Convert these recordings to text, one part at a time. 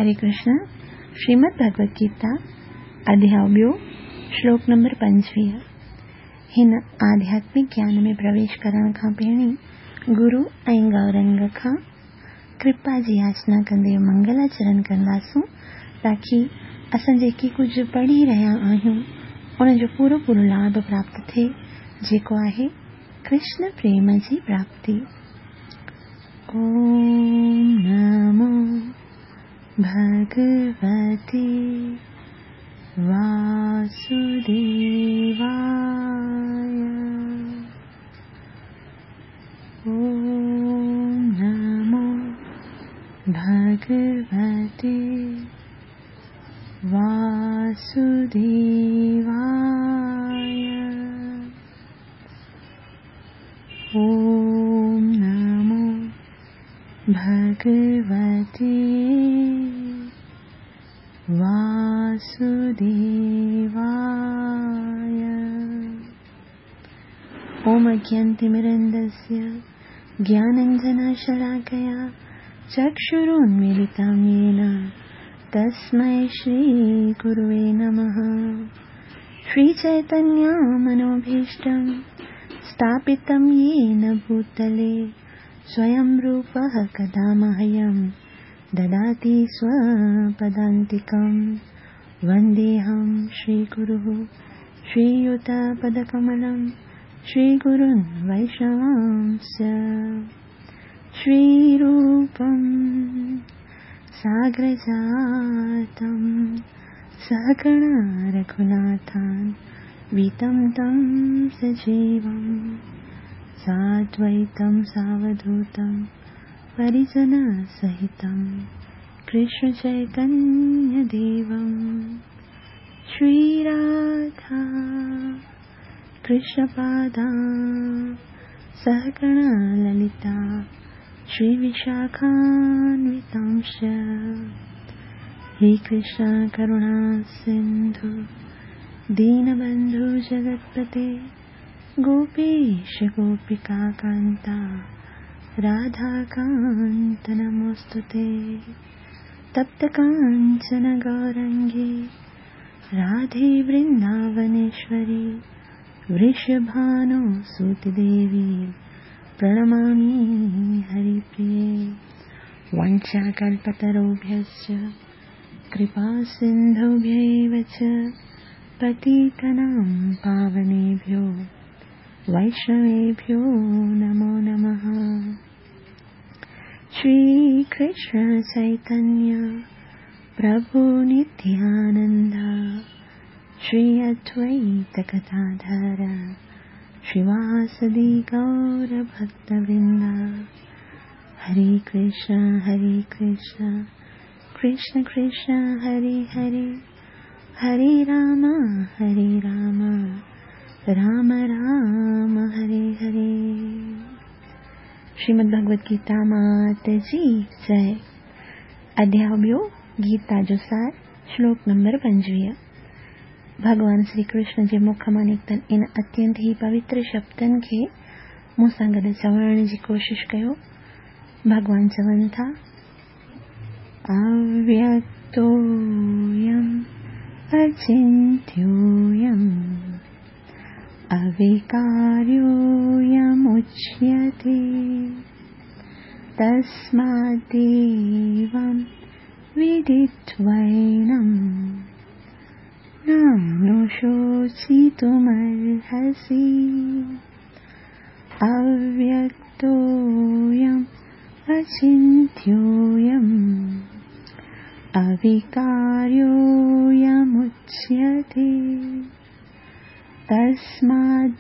हरे कृष्ण, श्रीमद भगवत गीता अध्याय ॿियो, श्लोक नंबर 25। हिन आध्यात्मिक ज्ञान में प्रवेश करण खां पहिरीं गुरु ऐं गौरंग खां कृपा जी याचना कंदे मंगलाचरण कंदासूं, ताकी असां जेकी कुझु पढ़ी रहिया आहियूं उनजो पूरो पूरो लाभ प्राप्त थिए, जेको आहे कृष्ण प्रेम जी प्राप्ति। ॐ नमो भगवते वासुदेवाय। ॐ नमो भगवते वासुदेवाय। ॐ नमो भगवते वासुदेवाय। ॐ अज्ञानतिमिरन्दस्य ज्ञानाञ्जनशलाकया चक्षुरुन्मीलितं येन तस्मै श्रीगुरुवे नमः। श्रीचैतन्यमनोभीष्टं स्थापितं येन भूतले स्वयं रूपः कदा मह्यं ददाति स्वपदान्तिकं। वन्देऽहं श्रीगुरुः श्रीयुतपदकमलं श्रीगुरुन् वैष्णवांश्च। श्रीरूपं सागरजातं सहगणा रघुनाथान् वितं तं सजीवं साद्वैतं सावधूतं परिजनसहितं कृष्णचैतन्यदेवं। श्रीराधा कृष्णपादा सहगणा ललिता श्रीविशाखान्वितांश्च। हे कृष्ण करुणा सिन्धु दीनबन्धु जगत्पते गोपेश गोपिकान्ता राधाकान्त नमोऽस्तु ते। तप्तकाञ्चन गौरङ्गी राधे वृन्दावनेश्वरी वृषभानुसुते देवी प्रणमामि हरिप्रिये। वाञ्छाकल्पतरुभ्यश्च कृपासिन्धुभ्यैव च पतितानां पावनेभ्यो वैष्णवेभ्यो नमो नमः। श्रीकृष्ण चैतन्य प्रभु नित्यानन्द श्री अद्वैत गदाधर श्रीवासदि गौरभक्तवृन्द। हरे कृष्ण हरे कृष्ण कृष्ण कृष्ण हरे हरे, हरे राम हरे राम राम राम हरे हरे। श्रीमद् भगवत गीता मात जी जय। अध्याय ॿियो, गीता जो सार, श्लोक नंबर 25। भॻवान श्री कृष्ण जे मुख मां निकितल इन अत्यंत ई पवित्र शब्दनि खे मूं सां गॾु चवण जी कोशिश कयो। भॻवान चवनि था, अव्यक्तोऽयम् अचिन्त्योऽयम् अविकार्योऽयमुच्यते तस्मादेवं विदित्वैनं नानुशोचितुमर्हसि। अव्यक्तोऽयम् अचिन्त्योऽयम् अविकार्योऽयमुच्यते तस्मादेवं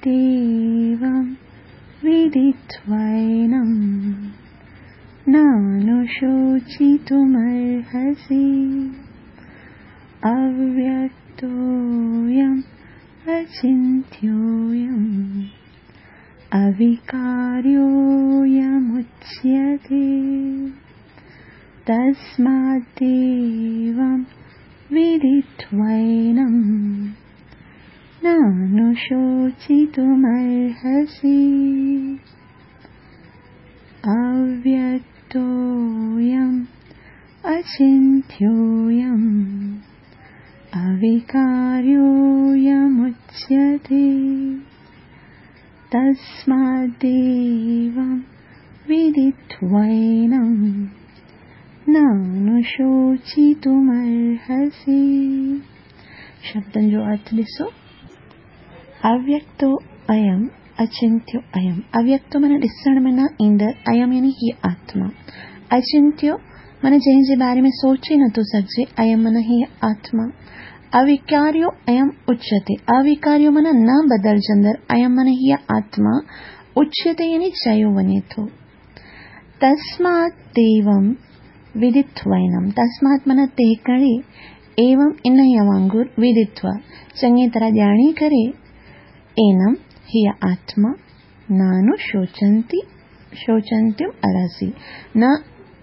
विदित्वैनं नानुशोचितुमर्हसि। अव्यक्तोऽयम् अचिन्त्योऽयम् अविकार्योऽयमुच्यते तस्मादेवं विदित्वैनं नानुशोचितुमर्हसि। अव्यक्तोऽयम् अचिन्त्योऽयम् अविकार्योऽयमुच्यते तस्माद्देवं विदित्वैनं नानुशोचितुमर्हसि। शब्दनि जो अर्थ ॾिसो, अव्यक्तो अयम् अचिंत्यो अयम्। अव्यक्तो माना ॾिसण में न ईंदड़, अयम् यानी हीअ आत्मा, अचिंत्यो माना जंहिंजे बारे में सोचे नथो सघिजे, अयम् माना हीअ आत्मा, अविकार्यो अयम् उच्यते, अविकार्यो माना न बदिलजंदड़, अयम् माना हीअ आत्मा, उच्यते यानी चयो वञे थो। तस्मात् एवं विदित्वैनम, तस्मात् माना ते करे, एवं इन्हीअ वांगुरु विदित्व चङी तरह ॼाणी करे, एनम हीअ आत्मा नानुशोचन्ति शोचन्तिम अर्हसि, न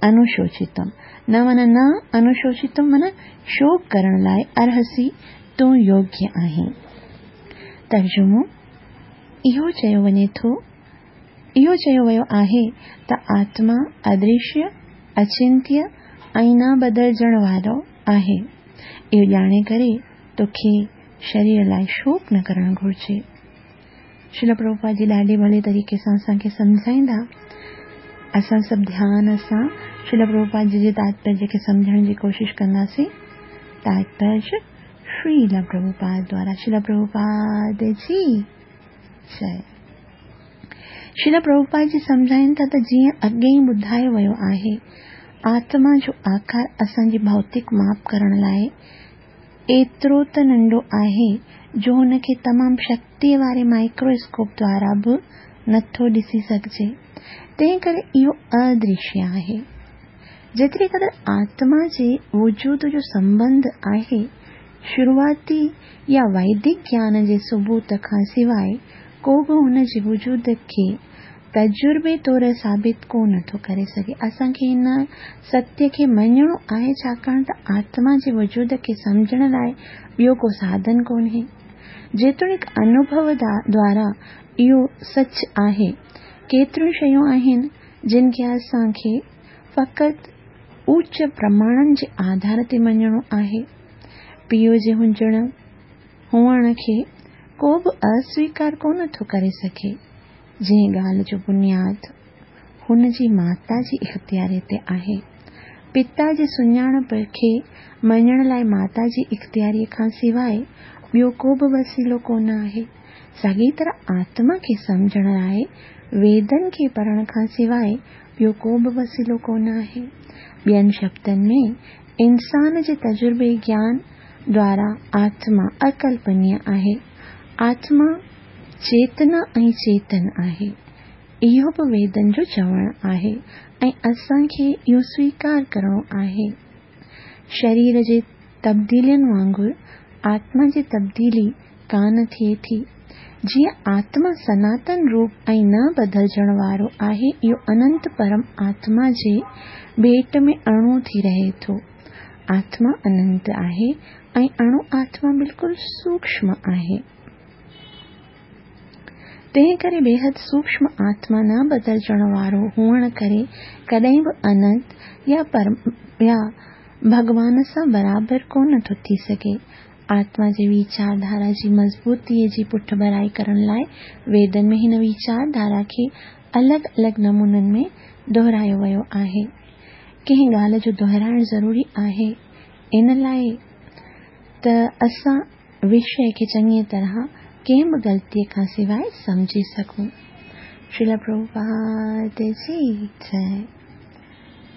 अनुशोचितम, न माना न अनुशोचितम माना शोक करण लाइ अर्हसि, तूं योग्य आहीं। तर्जुमो, इहो चयो वञे थो, इहो चयो वियो आहे त आत्मा अदृश्य, अचिंत्य ऐं न बदिलजण वारो आहे। इहो ॼाणे करे तोखे शरीर लाइ शोक न करणु घुरिजे। श्रील प्रभुपाद जी ॾाढे भले तरीक़े सां असांखे सम्झाईंदा। असां सभु ध्यान सां श्रील प्रभुपाद जी जे तात्पर्य खे सम्झण जी कोशिशि कंदासीं। तात्पर्य श्रील प्रभुपाद द्वारा। श्रील प्रभुपाद जी जय। श्रील प्रभुपाद जी सम्झाइनि था त जीअं अॻे ई ॿुधायो वियो आहे, आत्मा जो आकार असांजी भौतिक माप करण लाइ एतिरो त नंढो आहे जो हुनखे तमामु शक्तीअ वारे माइक्रोस्कोप द्वारा बि नथो ॾिसी सघिजे, तंहिं करे इहो अदृश्य आहे। जेतिरी क़दुरु आत्मा जे वजूद जो संबंध आहे, शुरूआती या वैदिक ज्ञान जे सबूत खां सवाइ को बि हुन जे वजूद खे तजुर्बे तौर साबित कोन थो करे सघे। असांखे हिन सत्य खे मञणो आहे, छाकाणि त आत्मा जे वजूद खे सम्झण लाइ ॿियो को साधन कोन्हे। जेतोणीकि अनुभव द्वारा इहो सच आहे, केतिरियूं शयूं आहिनि जिन खे असांखे फ़क़ति उच्च प्रमाणनि जे आधार ते मञणो आहे। पीउ जे हुअण खे को बि अस्वीकार कोन थो करे सघे, जंहिं ॻाल्हि जो बुनियाद हुन जी माता जी इख़्तियारी ते आहे। पिता जे सुञाणप खे मञण लाइ माता जी इख़्तियारीअ खां सवाइ ॿियो को बि वसीलो कोन आहे। साॻी तरह आत्मा खे सम्झण लाइ वेदनि खे पढ़ण खां सवाइ ॿियो को बि वसीलो कोन आहे। ॿियनि शब्दनि में इंसान जे तजुर्बे ज्ञान द्वारा आत्मा अकल्पनीय आहे। आत्मा चेतना ऐं चेतन आहे, इहो बि वेदनि जो चवणु आहे ऐं असांखे इहो स्वीकार करिणो आहे। शरीर जे तब्दीलियुनि वांगुरु आत्मा जी तब्दीली कान थिए थी। जीअं आत्मा सनातन रूप ऐं न बदिलजण वारो आहे, इहो अनंत परम आत्मा जे भेट में अणु थी रहे थो। आत्मा अनंत आहे ऐं अणु आत्मा बिल्कुलु सूक्ष्म आहे, तंहिं करे बेहद सूक्ष्म आत्मा न बदिलजण वारो हुअण करे कॾहिं बि अनंत या भॻवान सां बराबरि कोन थो थी सघे। आत्मा जे वीचारधारा जी मज़बूतीअ जी पुठभराई करण लाइ वेदनि में हिन वीचारधारा खे अलॻि अलॻि नमूननि में दोहरायो वियो आहे। कंहिं ॻाल्हि जो दोहराइणु ज़रूरी आहे इन लाइ त असां विषय खे चङीअ तरह कंहिं बि ग़लतीअ खां सवाइ सम्झी सघूं। श्रील प्रभुपाद जी जय।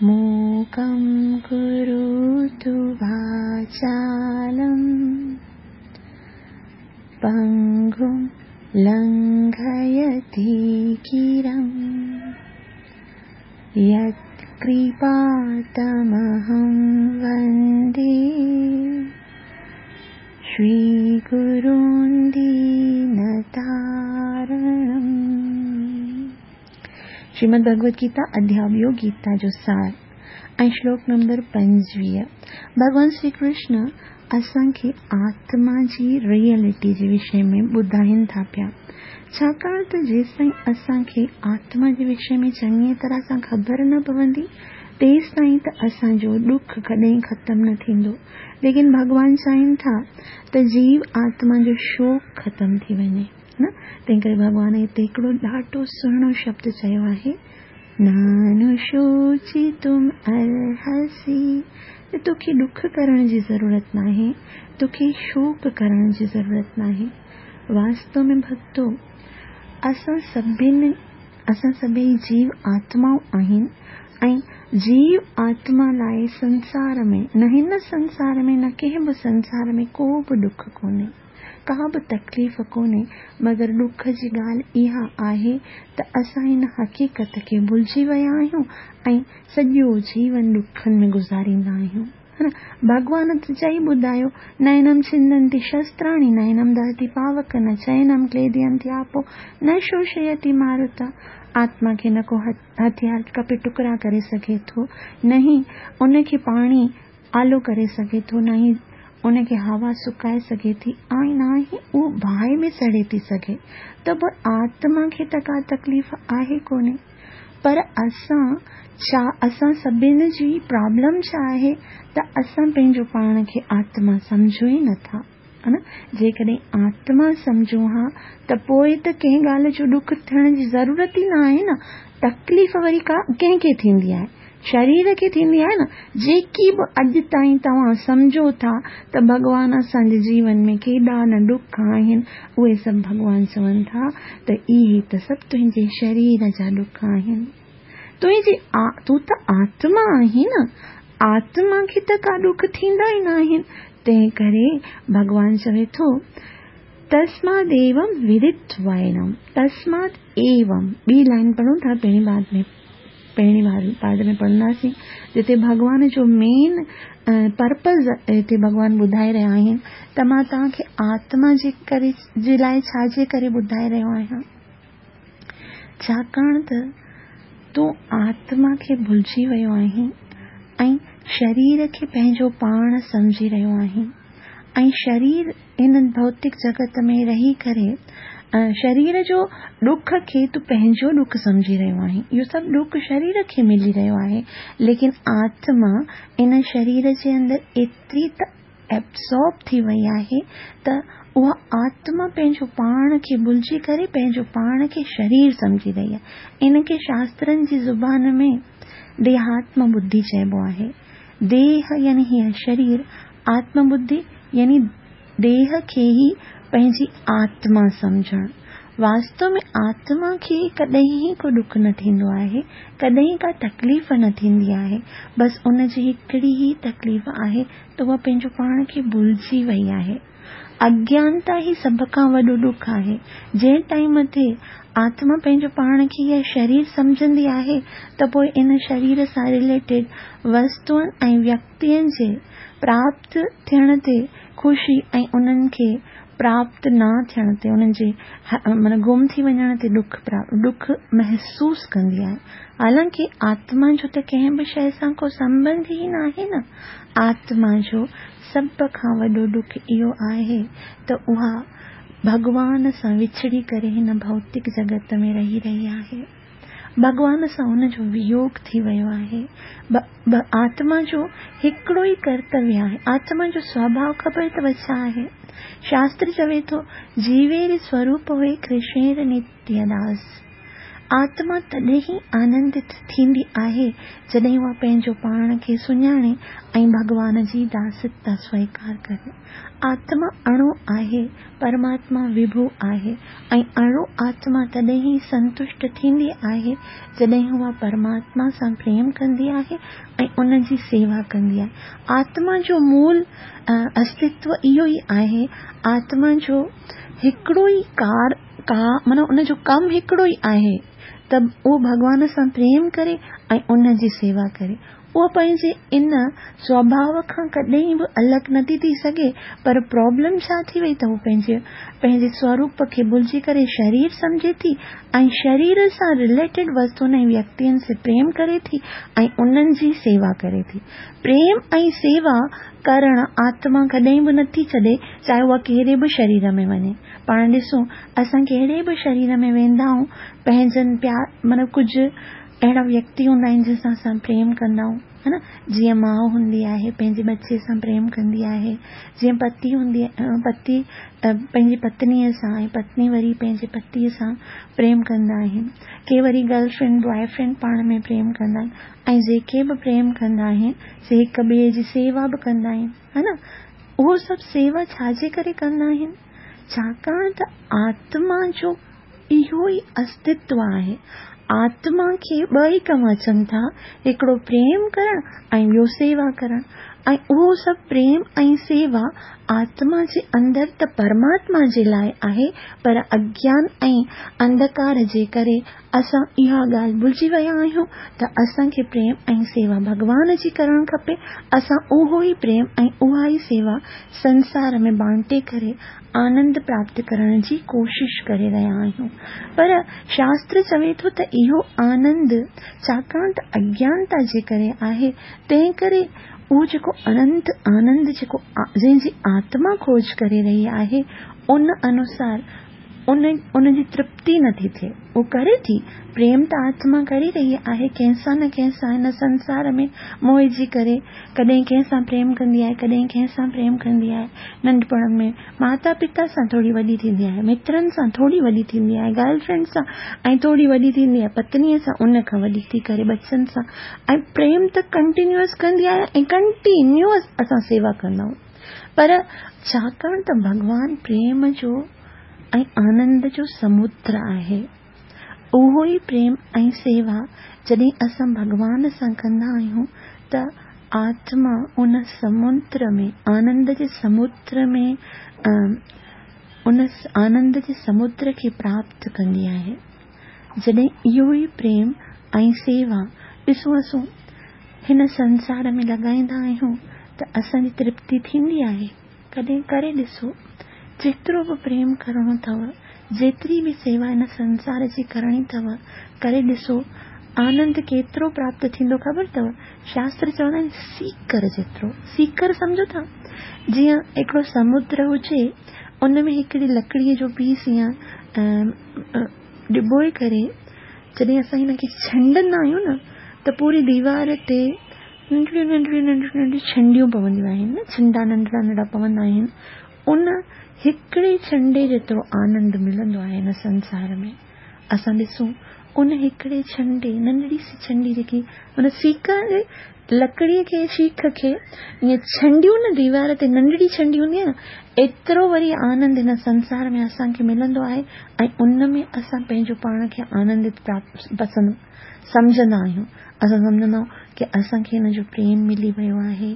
मूकं करोतु वाचालं पंगुं लंघयति गिरिं यत्कृपातमहं वन्दे श्रीगुरुं दीनतारणम्। श्रीमद् भगवद गीता अध्याय ॿियो, गीता जो सार ऐं श्लोक नंबर 25। भॻवान श्री कृष्ण असांखे आत्मा जी रियलिटी जे विषय में ॿुधाइनि था पिया, छाकाणि त जेसिताईं असांखे आत्मा जे विषय में चङीअ तरह सां ख़बर न पवंदी, تيستائين ته اسان جو ڏک ڪڏهن ختم نه ٿيندو. ليڪن ڀڳوان چاهين ٿا ته جيو آتما جو شوڪ ختم ٿي وڃي نه، تنهن ڪري ڀڳوان هتي هڪڙو ڏاڍو سهڻو شبد چيو آهي، نانوشوچتم ارهسي، ته توکي ڏک ڪرڻ جي ضرورت ناهي، توکي شوڪ ڪرڻ جي ضرورت ناهي. واستو ۾ ڀڳتو، اسان سڀني اسان سڀئي جيو آتمائون آهن ۽ جيو آتما لاء سنسار ۾ نه هن سنسار ۾ نه ڪنهن به سنسار ۾ ڪو به ڏک ڪونهي، ڪا به تڪليف ڪونهي، مگر ڏک جي ڳالهه اها آهي ته اسان هن حقيقت کي ڀلجي ويا آهيون ۽ سڄو جيون ڏکن ۾ گذاريندا آهيون. ڀڳوان ته چئي ٻڌايو، نينم ڇندنتي شستراڻي، نينم دهتي پاوڪ، نه چينم ڪليدينتي آپو، نه شوشيتي ماروتا. آتما کي نه ڪو هٿيار ڪپي ٽڪرا ڪري سگهي ٿو، نه ئي ان کي پاڻي آلو ڪري سگهي ٿو، نه ئي ان کي هوا سڪائي سگهي ٿي ۽ نه ئي اهو باهه ۾ سڙي ٿي سگهي. ته به آتما کي ته ڪا تڪليف آهي ڪونهي. پر اسان ڇا اسان سڀني جي پرابلم ڇا آهي ته اسان پنهنجو پاڻ کي آتما سمجهون ئي نٿا ها نه جيڪڏهن آتما سمجهون ها ته پوء ته ڪنهن ڳالهه جو ڏک ٿيڻ جي ضرورت ئي نه آهي نه تڪليف وري ڪا ڪنهن کي ٿيندي آهي شرير کي ٿيندي آهي نه، جيڪي به اڄ تائين توهان سمجهو ٿا ته ڀڳوان اسان جي جيون ۾ ڪيڏا نه ڏک آهن، اهي سڀ ڀڳوان چون ٿا ته اهي ته سڀ تنهنجي شرير جا ڏک آهن. تنهنجي تون ته آتما آهين نه، آتما کي ته ڪا ڏک ٿيندا ئي ناهن، تنهن ڪري ڀڳوان چوي ٿو، تسماد ايوم ودتوائنم، تسماد ايوم، ٻي لائين پڙهون ٿا پهرين بعد ۾. پهرين پارٽ ۾ پڙهنداسين جتي ڀڳوان جو مين پرپز هتي ڀڳوان ٻڌائي رهيا آهن ته مان توهان کي آتما جي ڪري جي لاء ڇا جي ڪري ٻڌائي رهيو آهيان ڇاڪاڻ ته تون آتما کي ڀلجي ويو آهين ۽ شرير کي پنهنجو پاڻ سمجهي رهيو آهين ۽ شرير هن ڀوتڪ جڳت ۾ رهي ڪري شرير جو ڏک کي تون پنهنجو ڏک سمجهي رهيو آهين. اهو سڀ ڏک شرير کي ملي رهيو آهي، ليڪن آتما ان شرير جي اندر ايتري ته ايبزارب ٿي وئي آهي ته اها آتما پنهنجو پاڻ کي ڀلجي ڪري پنهنجو پاڻ کي شرير سمجهي رهي آهي. ان کي شاسترن جي زبان ۾ ديهاتم ٻڌي چئبو آهي. ديهه يعني هيء شرير، آتم ٻڌي يعني ديهه کي ئي پنهنجي آتما سمجهڻ. واستو ۾ آتما کي ڪڏهن ئي ڪو ڏک نه ٿيندو آهي، ڪڏهن ڪا تڪليف نه ٿيندي آهي، بس ان جي هڪڙي ئي تڪليف آهي ته اها پنهنجو پاڻ کي ڀلجي وئي آهي. اگيانتا ئي سڀ کان وڏو ڏک آهي. جنهن ٽائيم تي آتما پنهنجو پاڻ کي اها شرير سمجهندي آهي ته پوء ان شرير سان رليٽيڊ وستوئن ۽ ويڪتين جي پراپت ٿيڻ تي خوشي ۽ انهن کي پراپت نه ٿيڻ تي انهن جي معنيٰ گم ٿي وڃڻ تي ڏک ڏک محسوس ڪندي آهي. حالانڪه آتما جو ته ڪنهن به شيء سان ڪو سنٻنڌ ئي ناهي نه. آتما جو سڀ کان وڏو ڏک اهو آهي ته اها ڀڳوان سان وڇڙي ڪري هن ڀوتڪ جڳت ۾ رهي رهي آهي. ڀڳوان سان ان جو ويوگ ٿي ويو آهي. آتما جو هڪڙو ئي ڪرتويه آهي. آتما جو سوڀاء خبر اٿو ڇا آهي؟ شاستر چوي ٿو، جيوير سوروپ هوئي ڪرشنير نتيه داس. آتما تڏهن ئي آنندت ٿيندي آهي، جڏهن اها پنهنجو پاڻ کي سڃاڻي ۽ ڀڳوان جي داستا سويڪار ڪري. آتما اڻو آهي، پرماتما وڀو آهي ۽ اڻو آتما تڏهن ئي سنتشٽ ٿيندي آهي، جڏهن اها پرماتما سان پريم ڪندي آهي ۽ ان جي سيوا ڪندي آهي. آتما جو مول استتو اهو ئي آهي. آتما جو هڪڙو ئي ڪار ڪا معنيٰ ان جو ڪم هڪڙو ئي آهي ته اهو ڀڳوان سان پريم ڪري ۽ ان جي سيوا ڪري. اهو پنهنجي ان سوڀاء کان ڪڏهن به الڳ نٿي ٿي سگهي پر پرابلم ڇا ٿي وئي ته هو پنهنجي پنهنجي سوروپ کي ڀلجي ڪري شرير سمجهي ٿي ۽ شرير سان رليٽيڊ وستون ۽ ويڪتين سي پريم ڪري ٿي ۽ انهن جي سيوا ڪري ٿي. پريم ۽ سيوا ڪرڻ آتما ڪڏهن به نٿي ڇڏي چاهي اها ڪهڙي به شرير ۾ وڃي. پاڻ ڏسون اسان ڪهڙي به شرير ۾ ويندا آهيون پنهنجن پيار معنيٰ ڪجهه اهڙا ويڪتي هوندا آهن جن سان اسان پريم ڪندا آهيون ها نه جيئن ماء هوندي آهي پنهنجي ٻچي سان پريم ڪندي آهي جيئن پتي هوندي پتي پنهنجي پتنيء سان ۽ پتني وري پنهنجي پتيء سان پريم ڪندا آهن ڪي وري گرل فرينڊ بواء فرينڊ پاڻ ۾ پريم ڪندا آهن ۽ جيڪي به پريم ڪندا آهن سي هڪ ٻئي جي سيوا به ڪندا آهن ها نه اهو سڀ سيوا ڇا جي ڪري ڪندا آهن ڇاڪاڻ ته آتما جو اهو ئي استتو آهي. آتما کي ٻه ئي ڪم اچن ٿا، هڪڙو پريم ڪرڻ ۽ ٻيو سيوا ڪرڻ ۽ اهو سڀ پريم ۽ سيوا آتما جي اندر ته پرماتما جي لاء آهي پر اگيان ۽ انڌڪار جي ڪري اسان اها ڳالهه ڀلجي ويا آهيون ته اسان کي پريم ۽ سيوا ڀڳوان جي ڪرڻ کپي، اسان اهو ئي پريم ۽ اها ئي سيوا سنسار ۾ بانٽي ڪري آنند پراپت ڪرڻ جي ڪوشش ڪري رهيا آهيون پر شاستر چوي ٿو ته اهو آنند ڇاڪاڻ ته اگيانتا جي ڪري آهي تنهن ڪري اهو جيڪو اننت آنند جيڪو جنهن جي آتما کوج ڪري رهي آهي ان انوسار ان ان جي ترپتي نه ٿي ٿئي. هو ڪري ٿي، پريم ته آتما ڪري رهي آهي ڪنهن سان نه ڪنهن سان هن سنسار ۾ موهجي ڪري ڪڏهن ڪنهن سان پريم ڪندي آهي ڪڏهن ڪنهن سان پريم ڪندي آهي ننڍپڻ ۾ ماتا پتا سان ٿوري وڏي ٿيندي آهي مترن سان ٿوري وڏي ٿيندي آهي گرل فرينڊ سان ۽ ٿوري وڏي ٿيندي آهي پتنيء سان ان کان وڏي ٿي ڪري ٻچن سان ۽ پريم ته ڪنٽينيوس ڪندي آهي ۽ ڪنٽينيوس اسان سيوا ڪندا آهيون پر ڇاڪاڻ ته ڀڳوان پريم جو ۽ آنند جو سمندر آهي. اهو ئي پريم ۽ سيوا جڏهن اسان ڀڳوان سان ڪندا آهيون ته آتما ان سمندر ۾ آنند جي سمندر ۾ ان آنند جي سمندر کي پراپت ڪندي آهي. جڏهن اهو ئي پريم ۽ سيوا ڏسون اسون هن سنسار ۾ لڳائيندا آهيون ته اسان جي ترپتي ٿيندي آهي. ڪڏهن ڪري ڏسو، جيترو به پريم ڪرڻو اٿو، جيتري به سيوا هن سنسار جي ڪرڻي اٿو، ڪري ڏسو، آنند ڪيترو پراپت ٿيندو خبر اٿو؟ شاستر چوندا آهن سيڪر جيترو. سيڪر سمجهو ٿا؟ جيئن هڪڙو سمندر هجي، ان ۾ هڪڙي لڪڙيء جو پيس يا ڊبوئي ڪري جڏهن اسان هن کي ڇنڊندا آهيون نه ته پوري ديوار تي ننڍڙيون ننڍڙيون ننڍڙيون ننڍڙيون ڇنڊيون پونديون آهن نه ڇنڊا ننڍڙا ننڍڙا پوندا آهن ان هڪڙي ڇنڊي جيترو آنند ملندو آهي هن سنسار ۾ اسان ڏسون ان هڪڙي ڇنڊي ننڍڙي سي ڇنڊي جيڪي ان سيڪ لڪڙي کي شيخ کي ائين ڇنڊيون نه ديوار تي ننڍڙي ڇنڊي هوندي آهي نه ايترو وري آنند هن سنسار ۾ اسان کي ملندو آهي ۽ ان ۾ اسان پنهنجو پاڻ کي آنندت پسند سمجهندا آهيون. اسان سمجهندا آهيون ڪي اسان کي هن جو پريم ملي ويو آهي،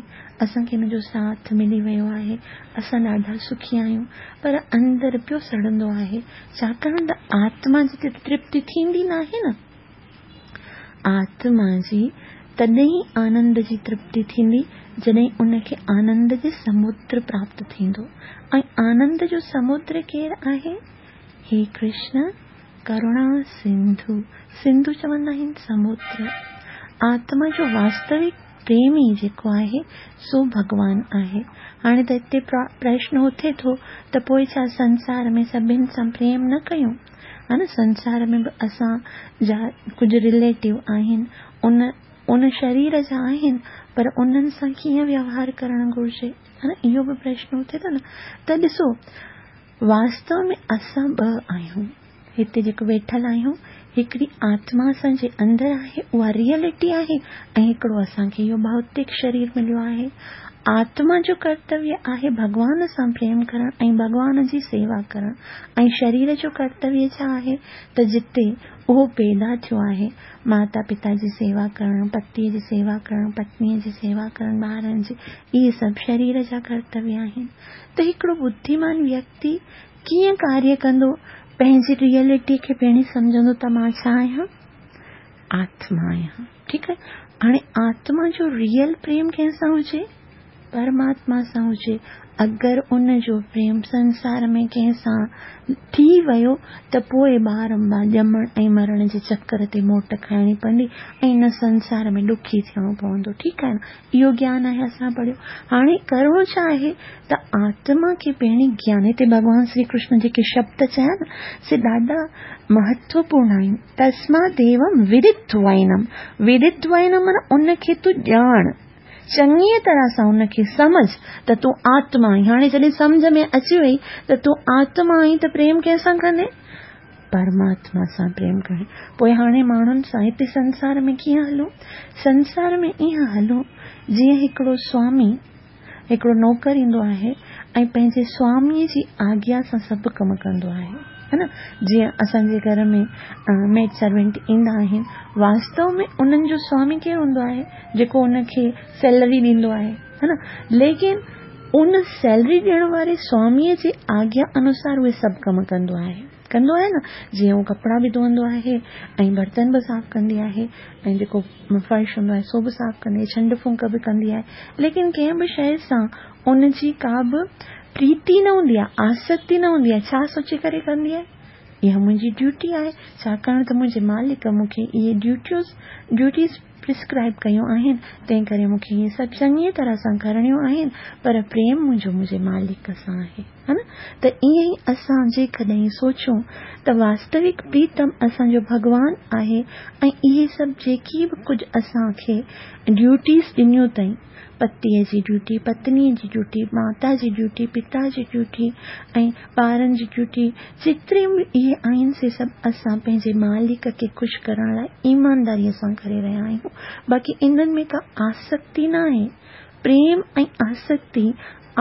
اسان کي هن جو ساٿ ملي ويو آهي، اسان ڏاڍا سکي آهيون، پر اندر پيو سڙندو آهي، ڇاڪاڻ ته آتما جي ته ترپتي ٿيندي ناهي نه. آتما جي تڏهن ئي آنند جي ترپتي ٿيندي جڏهن ان کي آنند جي سمندر پراپت ٿيندو ۽ آنند جو سمندر ڪير آهي؟ هي ڪرشن ڪروڻا سنڌو، سنڌو چوندا آهن سمندر. آتما جو واستوڪ پريمي جيڪو آهي سو ڀڳوان آهي. هاڻي ته هتي پرشن اٿي ٿو ته پوء ڇا سنسار ۾ سڀن سان پريم نه ڪيون؟ ها نه سنسار ۾ به اسان جا ڪجهه رليٽو آهن ان ان شرير جا آهن پر انهن سان ڪيئن ويوهار ڪرڻ گهرجي؟ ها نه اهو به پرشن اٿي ٿو نه ته ڏسو واستو ۾ اسان ٻه آهيون. هتي جيڪو ويٺل آهيون، هڪڙي آتما اسان جي اندر آهي، اها ريئلٽي آهي ۽ هڪڙو اسان کي اهو ڀوتڪ شرير مليو آهي. آتما جو ڪرتويه آهي ڀڳوان سان پريم ڪرڻ ۽ ڀڳوان جي سيوا ڪرڻ ۽ شرير جو ڪرتويه ڇا آهي ته جتي اهو پيدا ٿيو آهي، ماتا پتا جي سيوا ڪرڻ، پتيء جي سيوا ڪرڻ، پتنيء جي سيوا ڪرڻ، ٻارن جي، اهي سڀ شرير جا ڪرتويه آهن. ته هڪڙو ٻڌيمان ويڪتي ڪيئن ڪاريه ڪندو؟ پنهنجي ريئلٽي کي پهرين سمجهندو ته مان ڇا آهيان؟ آتما آهيان. ٺيڪ آهي. هاڻي آتما جو ريئل پريم ڪنهن سان هجي؟ پرماتما سان هجي. اگر ان جو پريم سنسار ۾ ڪنهن سان ٿي ويو ته پوء بارنبار ڄمڻ ۽ مرڻ جي چڪر تي موٽ کائڻي پوندي ۽ هن سنسار ۾ ڏکي ٿيڻو پوندو. ٺيڪ آهي نه؟ اهو گيان آهي اسان پڙهيو. هاڻي ڪرڻو ڇا آهي ته آتما کي پهرين گيان هتي ڀڳوان شري ڪرشن جيڪي شبد چيا نه سي ڏاڍا مهتوپورڻ آهن. تسماديوم ودتوائنم ودتوائنم معنيٰ ان کي تون ڄاڻ. چڱيء طرح سان ان کي سمجهه ته تون آتما آهين. هاڻي جڏهن سمجهه ۾ اچي وئي ته تون آتما آهين ته پريم ڪنهن سان ڪندين؟ پرماتما سان پريم ڪندين. پوء هاڻي ماڻهن سان هتي سنسار ۾ ڪيئن هلون؟ سنسار ۾ ائين هلون جيئن هڪڙو سوامي، هڪڙو نوڪر ايندو آهي ۽ پنهنجي سواميء جي آگيا سان سڀ ڪم ڪندو آهي. ها نه؟ جيئن اسان جي گهر ۾ ميڊ سرونٽ ايندا آهن، واستو ۾ انهن جو سوامي ڪير هوندو آهي؟ جيڪو ان کي سيلري ڏيندو آهي ها نه ليڪن ان سيلري ڏيڻ واري سواميء جي آگيا انوسار اهي سڀ ڪم ڪندو آهي ڪندو آهي نه جيئن هو ڪپڙا به ڌوئندو آهي ۽ برتن به صاف ڪندي آهي ۽ جيڪو فرش هوندو آهي سو به صاف ڪندي آهي ڇنڊ ڦونڪ به ڪندي آهي ليڪن ڪنهن به شيء سان ان جي ڪا به پريتي نه هوندي آهي آسڪتي نه هوندي آهي ڇا سوچي ڪري ڪندي آهي اها منهنجي ڊيوٽي آهي ڇاڪاڻ ته منهنجي مالڪ مون کي اهي ڊيوٽيوز ڊيوٽيز پرسڪرائيب ڪيون آهن، تنهن ڪري مون کي اهي سڀ چڱيء طرح سان ڪرڻيون آهن، پر پريم منهنجو منهنجي مالڪ سان آهي. ها نه؟ ته ائين ئي اسان جيڪڏهن سوچون ته واستوڪ پريتم اسان جو ڀڳوان آهي ۽ اهي سڀ جيڪي به ڪجهه اسان کي ڊيوٽيز ڏنيون اٿئي، پتيء جي ڊيوٽي، پتنيء جي ڊيوٽي، ماتا جي ڊيوٽي، پتا جي ڊيوٽي ۽ ٻارن جي ڊيوٽي، جيتريون به اهي آهن سي سڀ اسان پنهنجي مالڪ کي خوش ڪرڻ لاء ايمانداريء سان ڪري رهيا آهيون. باقي انهن ۾ ڪا آسڪتي ناهي. پريم ۽ آسڪتي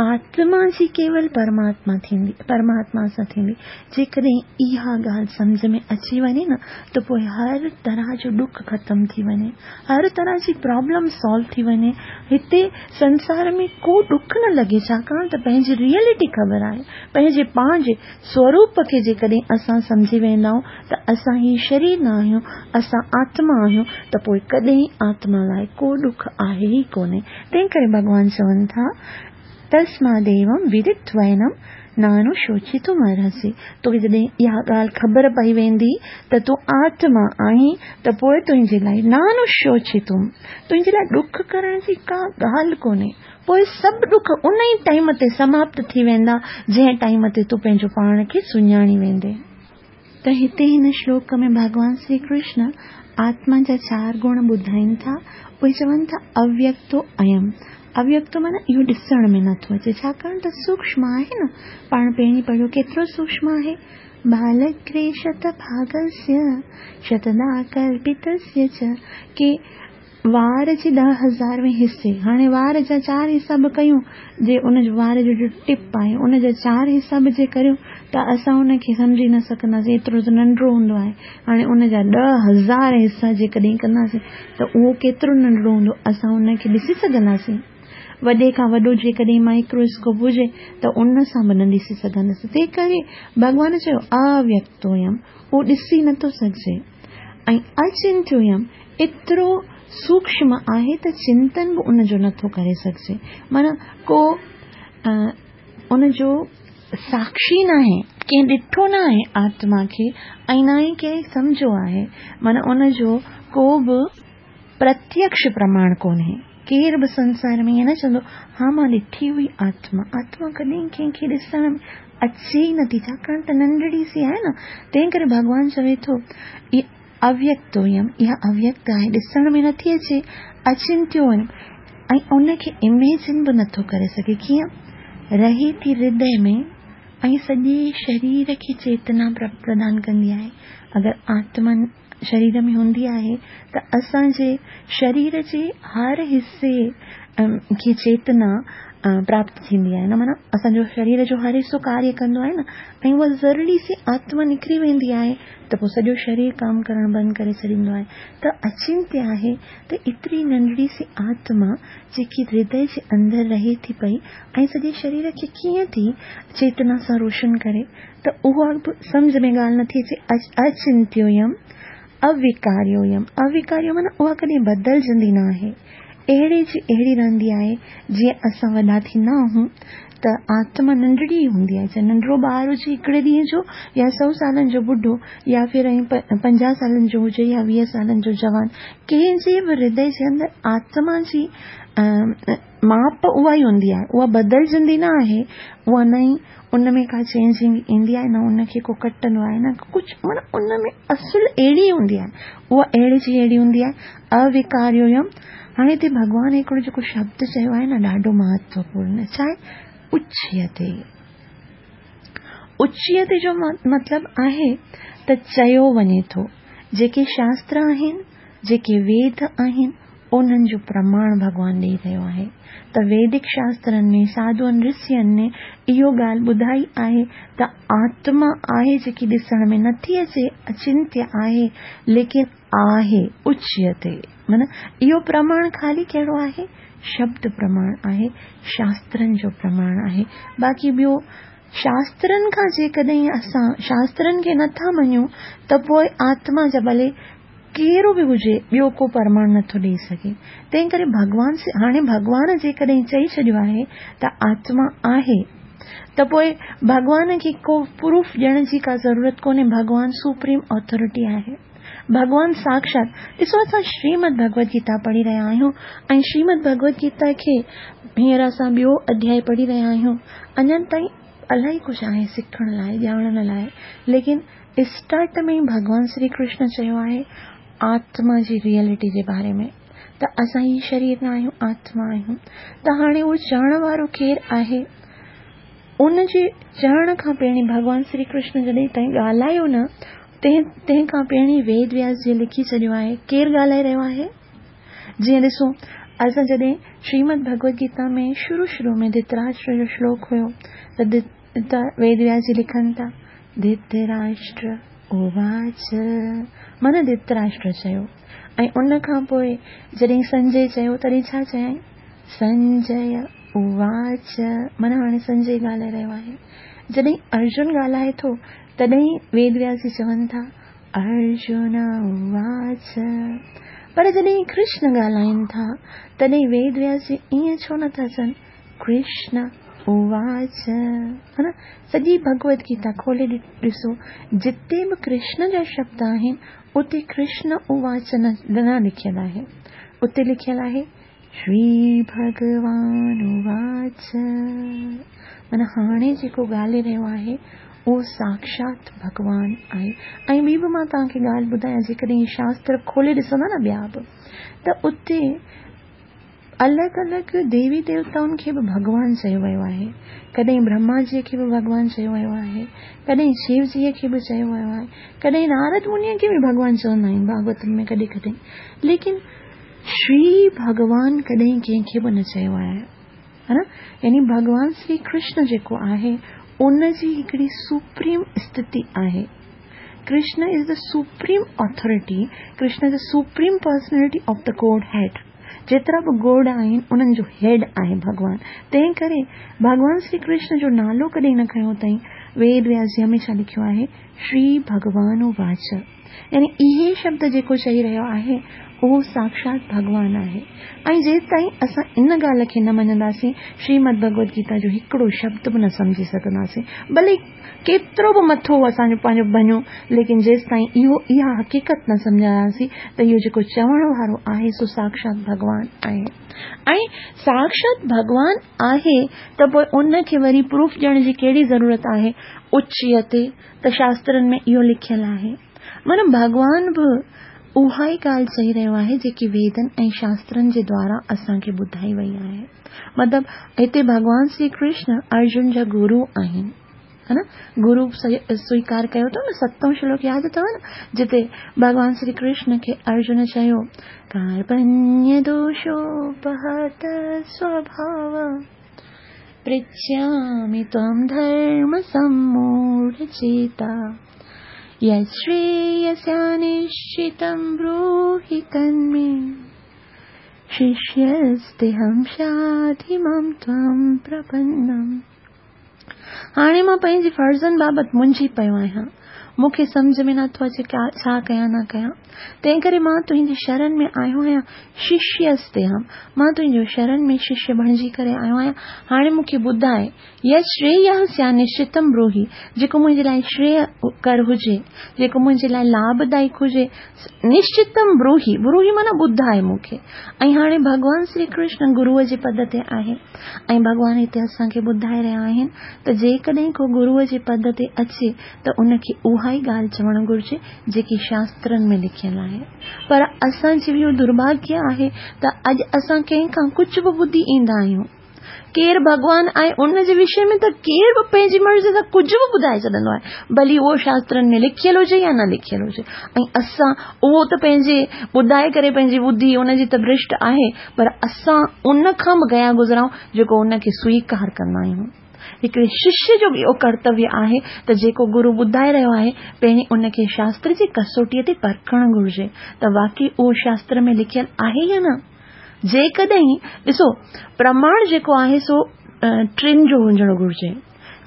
آتما جي ڪيول پرماتما ٿيندي، پرماتما سان ٿيندي. جيڪڏهن اها ڳالهه سمجهه ۾ اچي وڃي نه ته پوء هر طرح جو ڏک ختم ٿي وڃي، هر طرح جي پرابلم سالو ٿي وڃي. هتي سنسار ۾ ڪو ڏک نه لڳي ڇاڪاڻ ته پنهنجي ريئلٽي خبر آهي. پنهنجي پاڻ جي سوروپ کي جيڪڏهن اسان سمجهي ويندا آهيون ته اسان هي شرير نه آهيون، اسان آتما آهيون ته پوء ڪڏهن آتما لاء ڪو ڏک آهي ئي ڪونهي. تنهن ڪري ڀڳوان چون ٿا، تسماديوم ودتوينم نانوشوچتم ارهسي، توکي جڏهن اها ڳالهه خبر پئي ويندي ته تون آتما آهين ته پوء تنهنجي لاء نانوشوچتم، تنهنجي لاء ڏک ڪرڻ جي ڪا ڳالهه ڪونهي، پوء سڀ ڏک ان ئي ٽائيم تي سماپت ٿي ويندا جنهن ٽائيم تي تون پنهنجو پاڻ کي سڃاڻي ويندين. ته هتي هن شلوڪ ۾ ڀڳوان شري ڪرشن آتما جا چار گڻ ٻڌائين ٿا، اهي چون ٿا اويڪتو ايم، اويڪتو معنيٰ اهو ڏسڻ ۾ نٿو اچي، ڇاڪاڻ ته سوڪشم آهي نه، پاڻ پهرين پڙهيو ڪيترو سوڪشم آهي، ڀالگري شت ڀاگسيه شتدا ڪلپتسيه چ، ڪي وار جي ڏهه هزاروين حصي، هاڻي وار جا چار حصا به ڪيون، جي ان جو وار جو جو ٽپ آهي، ان جا چار حصا به جي ڪريون ته اسان ان کي سمجهي نه سگهنداسين، ايترو ته ننڍڙو هوندو آهي. هاڻي ان جا 10,000 حصا جيڪڏهن ڪنداسين ته اهو ڪيترو ننڍڙو هوندو، اسان ان کي ڏسي سگهنداسين؟ وڏي کان وڏو جيڪڏهن مائڪرو اسڪوپ هجي ته ان سان به نه ڏسي سگهنداسين. تنهن ڪري ڀڳوان چيو اويڪتويم، اهو ڏسي نه ٿو سگهجي. ۽ اچنتيويم، ايترو سوڪشم آهي ته چنتن به ان جو نٿو ڪري سگهجي. معنيٰ ڪو ان جو ساکشي ناهي، ڪنهن ڏٺو ناهي آتما کي ۽ نه ئي ڪنهن سمجهيو آهي. معنيٰ ان جو ڪو به پرتيڪش پرماڻ ڪونهي. ڪير به سنسار ۾ ائين نه چوندو، ها مان ڏٺي هئي آتما. آتما ڪڏهن ڪنهن کي ڏسڻ ۾ اچي ئي نٿي، ڇاڪاڻ ته ننڍڙي سي آهي نه. تنهن ڪري ڀڳوان چوي ٿو، اويڪتويم، اها اويڪت آهي، ڏسڻ ۾ نٿي اچي، اچنتيويم، ۽ ان کي اميجن به نٿو ڪري سگهي، ڪيئن؟ رهي ٿي هردي ۾ ۽ سڄي شرير کي چيتنا پردان ڪندي آهي. اگر آتما شرير ۾ هوندي آهي ته اسان جي شرير جي هر حصي کي چيتنا پراپت ٿيندي آهي نه معنيٰ اسان جو شرير جو هر حصو ڪاريه ڪندو آهي نه ۽ اها ذرڙي سي آتما نڪري ويندي آهي ته پوء سڄو شرير ڪم ڪرڻ بند ڪري ڇڏيندو آهي ته اچنتيه آهي ته ايتري ننڍڙي سي آتما جيڪي هردي جي اندر رهي ٿي پئي ۽ سڄي شرير کي ڪيئن ٿي چيتنا سان روشن ڪري ته اها به سمجهه ۾ ڳالهه نٿي اچي اچنتيويم اويڪاريويم اويڪاريو معنيٰ اها ڪڏهن بدلجندي نه آهي. اهڙي جي اهڙي رهندي آهي، جيئن اسان وڏا ٿيندا آهيون ته آتما ننڍڙي ئي هوندي آهي، چاهي ننڍڙو ٻار هجي هڪڙي ڏينهن جو يا سئو سالن جو ٻڍو يا ڦر 50 سالن جو هجي يا 20 سالن جو جوان، ڪنهن جي به هردي جي اندر آتما جي ماپ اها ئي هوندي آهي، اها بدلجندي نه آهي، اها نه ئي ان ۾ ڪا چينجنگ ايندي آهي، نه ان کي ڪو ڪٽندو آهي نه ڪجهه، معنيٰ ان ۾ اصل اهڙي ئي هوندي آهي، اها اهڙي جي اهڙي هوندي آهي، اويڪاريويم. هاڻي هتي ڀڳوان هڪڙو جيڪو شبد چيو آهي نه ڏاڍو مهتوپورن آهي، ڇا آهي؟ اچيتي. اچيتي جو مطلب آهي ته چيو وڃي ٿو، جيڪي شاستر آهن، جيڪي ويد آهن، انهن جو پرماڻ ڀڳوان ڏئي رهيو آهي ته ويدڪ شاسترن ۾ ساڌوئن رشين اهو ڳالهه ٻڌائي آهي ته آتما آهي جيڪي ڏسڻ ۾ نٿي اچي اچنتيه آهي ليڪن آهي اچيتي معنيٰ اهو پرماڻ خالي ڪهڙو آهي شبد پرماڻ آهي شاسترن جو پرماڻ آهي باقي ٻيو شاسترن کان جيڪڏهن اسان شاسترن کي نٿا مڃون ته پوء آتما جا ڀلي ڪهڙو به هجي ٻيو ڪو پرماڻ نه ٿو ڏئي سگهي. تنهن ڪري ڀڳوان هاڻي ڀڳوان جيڪڏهن چئي ڇڏيو آهي ته آتما آهي ته پوء ڀڳوان کي ڪو پروف ڏيڻ جي ڪا ضرورت ڪونهي ڀڳوان سپريم اٿارٽي آهي. ڀڳوان ساڪشات ڏسو اسان شريمد ڀڳوت گيتا پڙهي رهيا آهيون ۽ شريمد ڀڳوت گيتا کي هينئر اسان ٻيو اڌيائي پڙهي رهيا آهيون اڃا تائين الائي ڪجهه آهي سکڻ لاء ڄاڻڻ لاء ليڪن اسٽارٽ ۾ ئي ڀڳوان شري ڪرشن چيو آهي آتما جي ريئلٽي جي باري ۾ ته اسان هي شرير نه آهيون آتما آهيون ته هاڻي اهو چوڻ وارو ڪير آهي ان جي چوڻ کان پهرين ڀڳوان شري ڪرشن جڏهن تائين ڳالهايو نه تنهن کان پهرين ويد وياس جي لکي ڇڏيو آهي ڪير ڳالهائي رهيو آهي جيئن ڏسو اسان جڏهن شريمد ڀڳوت گيتا ۾ شروع شروع ۾ ڌتراشٽر جو شلوڪ هيو ته ته ويد وياس جي لکن ٿا، ڌتراشٽر اواچ، معنيٰ ڌتراشٽر چيو ۽ ان کان پوء جڏهن سنجي چيو تڏهن ڇا چيائين؟ سنجي اواچ، معنيٰ هاڻي سنجي ڳالهائي رهيو آهي. جڏهن ارجن ڳالهائي ٿو تڏهن ويد وياس جي چون ٿا، ارجن اواچ. پر جڏهن ڪرشن ڳالهائين ٿا تڏهن ويد وياس جي ائين ڇو نٿا چون؟ ڪرشن اواچ ها نه سڄي ڀڳوت گيتا کولي ڏسو جتي به ڪرشن جا شبد آهن اتي ڪرشن اواچ نه لکيل آهي اتي لکيل آهي شري ڀڳوان اواچ معنيٰ هاڻي جيڪو ڳالهي رهيو آهي اهو ساکشات ڀڳوان آهي ۽ ٻي به مان توهان کي ڳالهه ٻڌايان جيڪڏهن شاستر کولي ڏسندا نه ٻيا به ته اتي الڳ الڳ ديوي ديوتائن کي به ڀڳوان چيو ويو آهي. ڪڏهن برهما جيء کي به ڀڳوان چيو ويو آهي، ڪڏهن شو جيء کي به چيو ويو آهي، ڪڏهن نارد منيء کي به ڀڳوان چوندا آهن ڀاڳوتم ۾ ڪڏهن ڪڏهن. ليڪن شري ڀڳوان ڪڏهن ڪنهن کي به نه چيو آهي. ها نه؟ يعني ڀڳوان شري ڪرشن جيڪو آهي ان جي هڪڙي سپريم استٿي آهي. Krishna is the supreme authority, Krishna is the supreme personality of the godhead. جيترا به گاڊ آهن انهن جو هيڊ آهي ڀڳوان. تنهن ڪري ڀڳوان شري ڪرشن جو نالو ڪڏهن نه کنيو اٿائين. ويد وياس جي هميشه لکيو آهي شري ڀڳوان واچ. يعني اهي شبد جيڪو چئي رهيو آهي اهو ساکشات ڀڳوان آهي. ۽ جيستائين اسان ان ڳالهه کي نه مڃنداسين شريمد ڀڳوت گيتا جو هڪڙو شبد به نه سمجهي سگهنداسين. ڀلي ڪيترو به مٿو اسان جو پنهنجو ڀڃو ليڪن جيستائين اهو اها حقيقت نه سمجهنداسين ته اهو جيڪو چوڻ وارو آهي سو ساکشات ڀڳوان آهي ۽ ساکشات ڀڳوان آهي ته پوء ان کي وري پروف ڏيڻ جي ڪهڙي ضرورت آهي اچيتي ته شاسترن ۾ اهو لکيل آهي معنيٰ ڀڳوان به اها ئي ڳالهه چئي رهيو آهي جيڪي ويدن ۽ شاسترن جي دوارا اسان کي ٻڌائي وئي آهي مطلب هتي ڀڳوان شري ڪرشن ارجن جا گرو آهن ها نه گرو سويڪار ڪيو اٿو نه ستون شلوڪ ياد اٿو نه جتي ڀڳوان شري ڪرشن کي ارجن چيو ڪارپنيه دوشوپهت سوڀاو پرڇامي تم ڌرم سموڙ چيتا يشريسيا نشچتم بروهي تنمي ششيستيهم شاڌي مام توام پرپنم. هاڻي مان پنهنجي فرضن بابت منجهي پيو آهيان. مون کي سمجهه ۾ نٿو اچي ڇا ڪيان نه ڪيان. تنهنڪري مان تنهنجي شرن ۾ آيو آهيان، ششيستيهم، مان تنهنجو شرن ۾ ششيه بڻجي ڪري آيو آهيان، هاڻي مون کي ٻڌاء، يت شرييه سيان نشچتم بروهي، جيڪو منهنجي لاء شريه ڪر هجي، جيڪو منهنجي لاء لاڀدائڪ هجي، نشچتم بروهي، بروهي معنيٰ ٻڌاء مون کي. ۽ هاڻي ڀڳوان شري ڪرشن گروء جي پد تي آهي ۽ ڀڳوان هتي اسان کي ٻڌائي رهيا آهن ته جيڪڏهن ڪو گروء جي پد تي اچي ته ان کي اها ئي ڳالهه چوڻ گهرجي جيڪي شاسترن ۾ لکيل آهي. پر اسان جو اهو درڀاگيه آهي ته اڄ اسان ڪنهن کان ڪجهه به ٻڌي ايندا آهيون. ڪير ڀڳوان آهي ان جي وشي ۾ ته ڪير به پنهنجي مرضي سان ڪجهه به ٻڌائي ڇڏندو آهي، ڀلي اهو شاسترن ۾ لکيل هجي يا نه لکيل هجي. ۽ اسان اهو ته پنهنجي ٻڌائي ڪري پنهنجي ٻڌي ان جي ته ڀرشٽ آهي، پر اسان ان کان به گيا گذرائون جيڪو ان کي سويڪار ڪندا آهيون. هڪڙي ششيه جو به اهو ڪرتويه آهي ته جيڪو گرو ٻڌائي رهيو آهي، پهرين ان کي شاستر جي ڪسوٽيء تي پرکڻ گهرجي ته واقعي اهو شاستر ۾ لکيل آهي يا نه. جيڪڏهن، ڏسو، پرماڻ جيڪو آهي سو ٽن جو هجڻ گهرجي.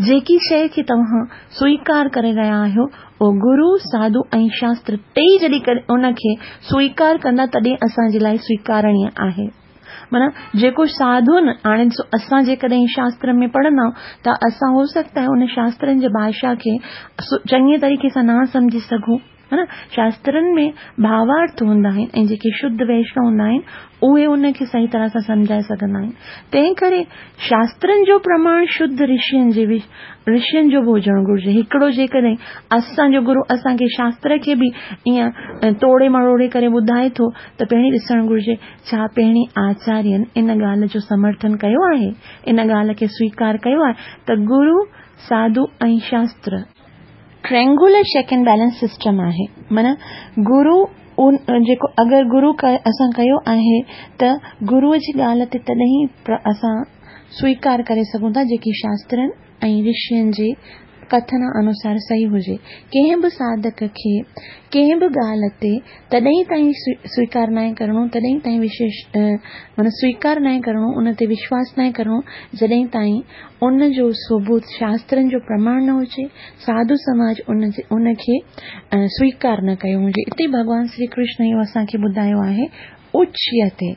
جيڪي شيء کي توهان سويڪار ڪري رهيا آهيو، اهو گرو، ساڌو ۽ شاستر ٽيئي جڏهن ان کي سويڪار ڪندا تڏهن اسان جي لاء سويڪارڻي آهي. معنيٰ جيڪو ساڌن، هاڻي ڏسو اسان جيڪڏهن شاستر ۾ پڙهندا ته اسان هو سگهتا آهي ان شاسترن جي ڀاشا کي چڱي طريقي سان نه سمجهي سگهون. ها نه شاسترن ۾ ڀاوارٿ هوندا آهن ۽ جيڪي شڌ ويشنو هوندا آهن اهي ان کي صحيح طرح سان سمجهائي سگهندا آهن تنهن ڪري شاسترن جو پرماڻ شڌ رشين جي رشين جو به هجڻ گهرجي هڪڙو جيڪڏهن اسان جو گرو اسان کي شاستر کي به ائين توڙي مروڙي ڪري ٻڌائي ٿو ته پهرين ڏسڻ گهرجي ڇا پهرين آچارين ان ڳالهه جو سمرٿن ڪيو آهي ان ڳالهه کي سويڪار ڪيو آهي ته گرو ساڌو ۽ شاستر triangular check and balance system آهي معنيٰ گرو ان جيڪو اگر گرو اسان ڪيو آهي ته گرو جي ڳالهه تي تڏهن اسان سويڪار ڪري سگهون ٿا جيڪي شاسترن ۽ رشين جي ڪٿن انوسار صحيح هجي ڪنهن به ساڌڪ کي ڪنهن به ڳالهه تي تڏهن تائين سويڪار ناهي ڪرڻو تڏهن تائين وشيش معنيٰ سويڪار ناهي ڪرڻو ان تي وشواس ناهي ڪرڻو جڏهن تائين ان جو ثبوت شاسترن جو پرماڻ نه هجي، ساڌو سماج ان جي ان کي سويڪار نه ڪيو هجي. اتي ڀڳوان شري ڪرشن اهو اسان کي ٻڌايو آهي اچيتي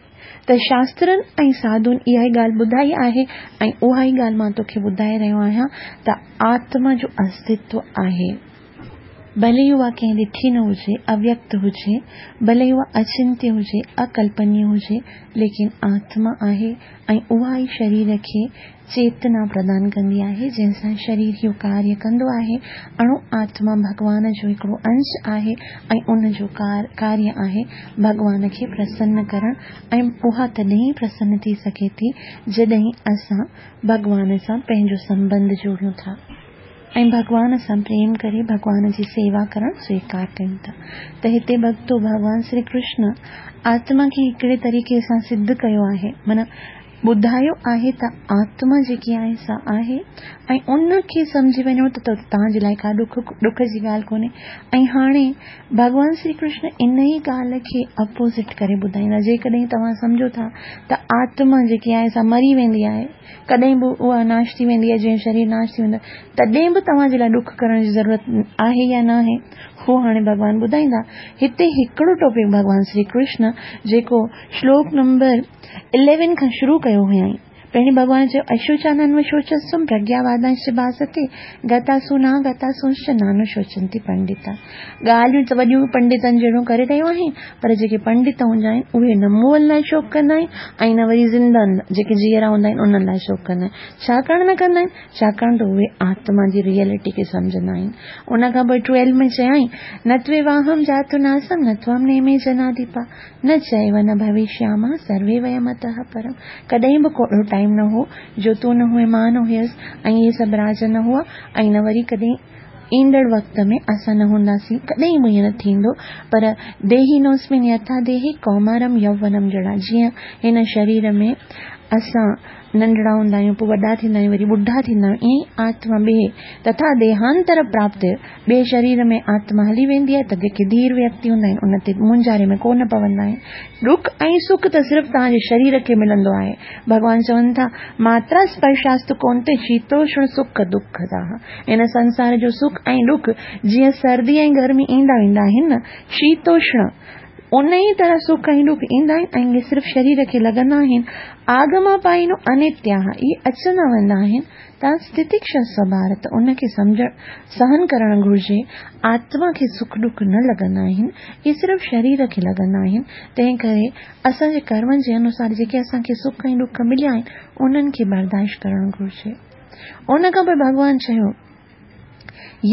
ته شاسترن ۽ ساڌن اها ئي ڳالهه ٻڌائي آهي ۽ اها ئي ڳالهه مان توکي ٻڌائي رهيو آهيان ته آتما جو استتو آهي. ڀلي اها ڪنهن ڏٺي نه هجي، اويڪت هجي، ڀلي اها اچنتيه هجي، اڪلپنيه هجي، ليڪن آتما آهي ۽ اها ئي شرير کي چيتنا پردان ڪندي آهي، جنهن سان شرير اهو ڪاريه ڪندو آهي. اڻو آتما ڀڳوان جو هڪڙو انش آهي ۽ ان جو ڪاريه آهي ڀڳوان کي پرسن ڪرڻ ۽ اها تڏهن ئي پرسن ٿي سگهي ٿي، جڏهن اسان ڀڳوان سان پنهنجو سنٻنڌ جوڙيون ٿا. ۽ ڀڳوان سان پريم ڪري ڀڳوان جي سيوا ڪرڻ سويڪار ڪيون ٿا ته هتي ڀڳتو ڀڳوان شري ڪرشن آتما کي هڪڙي طريقي سان سڌ ڪيو آهي معنيٰ ٻڌايو آهي ته آتما جيڪي آهي سا آهي ۽ ان کي سمجهي وڃو ته توهان جي لاء ڪا ڏک ڏک جي ڳالهه ڪونهي ۽ هاڻي ڀڳوان شري ڪرشن ان ئي ڳالهه کي اپوزٽ ڪري ٻڌائيندا جيڪڏهن توهان سمجهو ٿا ته آتما جيڪي آهي سا مري ويندي آهي ڪڏهن به اها ناش ٿي ويندي آهي جيئن شرير ناش ٿي ويندو آهي تڏهن به توهان جي لاء ڏک ڪرڻ جي ضرورت آهي يا ناهي هو هاڻي ڀڳوان ٻڌائيندا هتي هڪڙو ٽاپڪ ڀڳوان شري ڪرشن جيڪو شلوڪ نمبر اليون کان شروع ڪيو هيائين پهرين ڀڳوان چيو اشوچانانو شوچستم پرگياوادانش ڀاستي گتاسو نا گتاسونش نانو شوچنتي پنڊتا ڳالهيون ته وڏيون پنڊتن جهڙيون ڪري رهيو آهين، پر جيڪي پنڊت هوندا آهن، اهي نه مئل لاء شوڪ ڪندا آهن ۽ نه وري زندن جيڪي جيئرا هوندا آهن، انهن لاء شوڪ ڪندا آهن. ڇاڪاڻ نه ڪندا آهن؟ ڇاڪاڻ ته اهي آتما جي ريئلٽي کي سمجهندا آهن. ان کان پوء ٽويلو ۾ چيائين، نه تويواهم جاتو ناسم نه توام نيمي جناديپا، نه چيو نه ڀوشيامه سروي ويم اتهه پرم. ڪڏهن به ڪو اهڙو ٽائيم نه هو جو تون نه هئين مان نه هيس ۽ اهي سڀ راج نه هئا ۽ نه وري ڪڏهن ايندڙ وقت ۾ اسان نه هونداسين، ڪڏهن به ائين نه ٿيندو، پر ديهي نوسمين يٿا ديهي ڪومارم يوونم جڙا جيئن هن شرير ۾ اسان ننڍڙا هوندا آهيون، پوء وڏا ٿيندا آهيون، وري ٻڍا ٿيندا آهيون، ائين ئي آتما ٻئي تٿا ديهانتر پراپت ٻئي شرير ۾ آتما هلي ويندي آهي ته جيڪي ڌير ويڪتي هوندا آهن ان تي مونجهاري ۾ ڪو نه پوندا آهن. ڏک ۽ سک ته صرف توهان جي شرير کي ملندو آهي. ڀڳوان چون ٿا، ماترا اسپرشاستو ڪونتي شيتوشڻ سک دک تاها. هن سنسار جو سک ۽ ڏک جيئن سردي ۽ گرمي ايندا ويندا آهن نه، شيتوشڻ، انهيء طرح سک ۽ ڏک ايندا آهن ۽ اهي صرف شرير کي لڳندا آهن. آگماپائينو انتياهه، اهي اچندا ويندا آهن. تان ستتڪشسو ڀارت، ان کي سمجهڻ، سهن ڪرڻ گهرجي. آتما کي سک ڏک نه لڳندا آهن، اهي صرف شرير کي لڳندا آهن. تنهن ڪري اسان جي ڪرمن جي انوسار جيڪي اسان کي سک ۽ ڏک مليا آهن، انهن کي برداشت ڪرڻ گهرجي. ان کان پوء ڀڳوان چيو،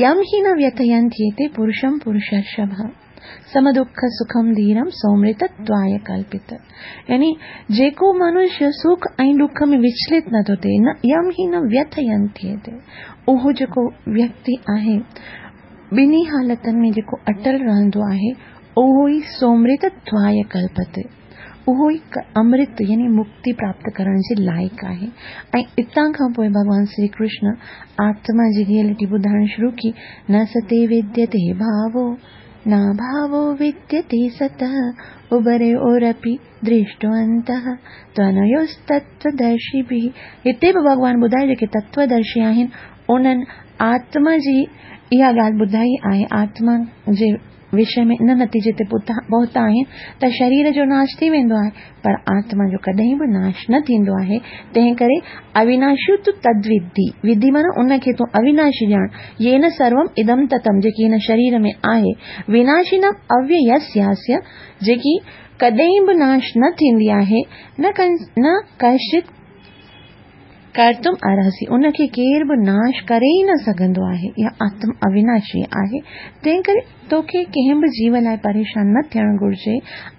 يم هي نه ويٿينتيتي پرشم پرشرشڀ. سم دک سکم ڌيرم سومرتتواي ڪلپت يعني جيڪو منشيه سک ۽ ڏک ۾ وچلت نه ٿو ٿئي نه يم هي نه ويٿينتيتي اهو جيڪو ويڪتي آهي ٻنهي حالتن ۾ جيڪو اٽل رهندو آهي اهو ئي سومرتتواي ڪلپت اهو ئي امرت يعني مڪتي پراپت ڪرڻ جي لائق آهي ۽ اتان کان پوء ڀڳوان شري ڪرشن آتما جي ريئلٽي ٻڌائڻ شروع ڪئي نه ستي وديتي ڀاوو ناڀاوو وديتي ستهه اڀريورپي درشٽو انتهه تونيوستتودرشيڀي هتي به ڀڳوان ٻڌايو جيڪي تتودرشي آهن انهن آتما جي اها ڳالهه ٻڌائي آهي آتما جي وشي ۾ ان نتيجي تي پهتا آهن ته شرير جو ناش ٿي ويندو آهي پر آتما جو ڪڏهن به ناش نه ٿيندو آهي تنهن ڪري اويناشي تو تدودي ودي معنيٰ ان کي تون اويناشي ڄاڻ يين سروم ادم تتم جيڪي هن شرير ۾ آهي ويناشينم اوييسياسيه جيڪي ڪڏهن به ناش نه ٿيندي آهي نه ڪشچت ڪرتم ارهسي، ان کي ڪير به ناش ڪري ئي نه سگهندو آهي. اها آتم اويناشي آهي، تنهن ڪري توکي ڪنهن به جيو لاء پريشان نه ٿيڻ گهرجي.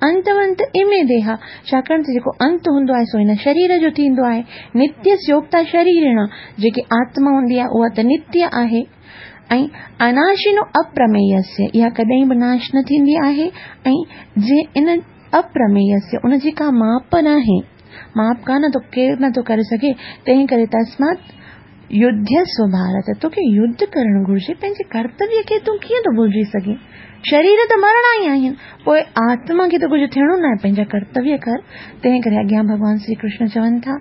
انتونت امي ديها، ڇاڪاڻ ته جيڪو انت هوندو آهي سو هن شرير جو ٿيندو آهي. نتيه سيوڪتا شريرڻا، جيڪي آتما هوندي آهي اها ته نتيه آهي. ۽ اناشينو اپرمييسيه، اها ڪڏهن به ناش نه ٿيندي آهي ۽ جنهن ان اپرمييسيه، ان جي ڪا ماپ ناهي. ماپ ڪانه ٿو ڪير نه ٿو ڪري سگهي، تنهن ڪري تسمات يڌيسو ڀارت، توکي يڌ ڪرڻ گهرجي، پنهنجي ڪرتويه کي تون ڪيئن ٿو ڀلجي سگهين؟ شرير ته مرڻا ئي آهن، پوء آتما کي ته ڪجهه ٿيڻو ناهي، پنهنجا ڪرتويه ڪر. تنهن ڪري اڳيان ڀڳوان شري ڪرشن چون ٿا،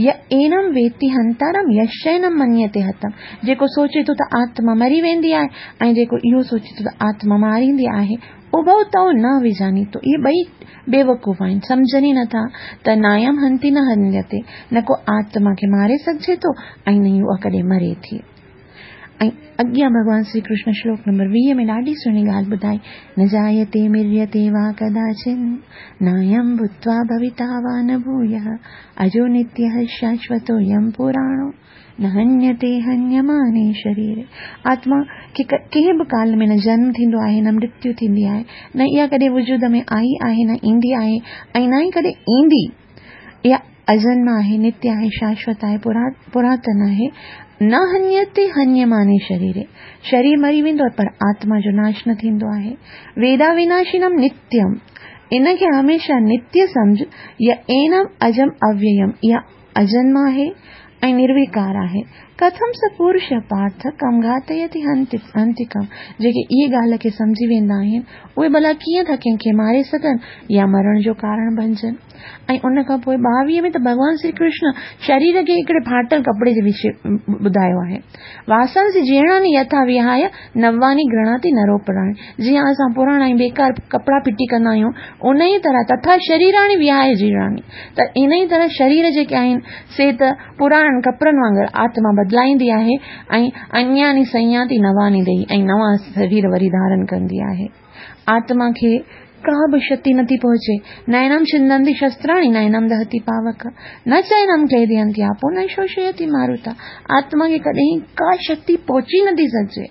ي اينم ويتي هنتارم يشينم منيتي هتم، جيڪو سوچي ٿو ته آتما مري ويندي آهي ۽ جيڪو اهو سوچي ٿو ته آتما ماريندي آهي، اڀؤ تؤ نه وجانيتو، اهي ٻئي بيوقوف آهن، سمجهن ئي نه ٿا ته نايم هنتي نه هنيتي، نه ڪو آتما کي ماري سگهجي ٿو ۽ نه ئي اها ڪڏهن مري ٿي. ۽ اڳيان ڀڳوان شري ڪرشن شلوڪ نمبر 20 ۾ ڏاڍي سهڻي ڳالهه ٻڌائي، نه جايتي مريتي وا ڪداچن، نايم ڀوتوا ڀويتا وا نه ڀويه، اجو نتيه شاشوتو يم پراڻو، نه هنيتي هنيماني شريري. آتما کي ڪنهن به ڪال ۾ نه جنم ٿيندو آهي نه مرتيو ٿيندي آهي، نه اها ڪڏهن وجود ۾ آئي آهي نه ايندي آهي ۽ نه ئي ڪڏهن ايندي. اها اجنما آهي، نتيه آهي، شاشوت آهي، پراتن آهي. نه هنيتي هنيماني شريري. شرير مري ويندو آهي پر آتما جو ناش نه ٿيندو آهي. ويدا وناشينم نتيم. ان کي هميشه نتيه سمجهه، ي اينم اجم اوييم. اها اجنما آهي ۽ نرويڪار آهي. ڪٿم س پورش پارٿ ڪم گهاتيتي هنتڪم جيڪي اهي ڳالهه کي سمجهي ويندا آهن، اهي ڀلا ڪيئن ٿا ڪنهن کي ماري سگهن يا مرڻ جو ڪارڻ بنجن؟ ۽ ان کان پوء 22 ۾ ته ڀڳوان شري ڪرشن شرير کي هڪڙي ڦاٽل ڪپڙي جي وشي ٻڌايو آهي. واسانسي جيرڻاني يٿا وهايه نواني گرهڻاتي نروپراڻي جيئن اسان پراڻا ۽ بيڪار ڪپڙا ڦٽي ڪندا آهيون، انهيء طرح تٿا شريراڻي وهايه جيرڻاني ته انهيء طرح شرير جيڪي آهن، سي ته پراڻن ڪپڙن وانگر آتما بدلائيندي آهي ۽ انياني سنياتي نواني ديهي ۽ نوان شرير وري ڌارن ڪندي آهي. آتما کي ڪا به شتي نٿي پهچي. نينم ڇندنتي شستراڻي، نينم دهتي پاوڪ، نه چينم کيدينتي آپو، نه شوشيتي ماروتا. آتما کي ڪڏهن ڪا شتي پهچي نٿي سگهجي.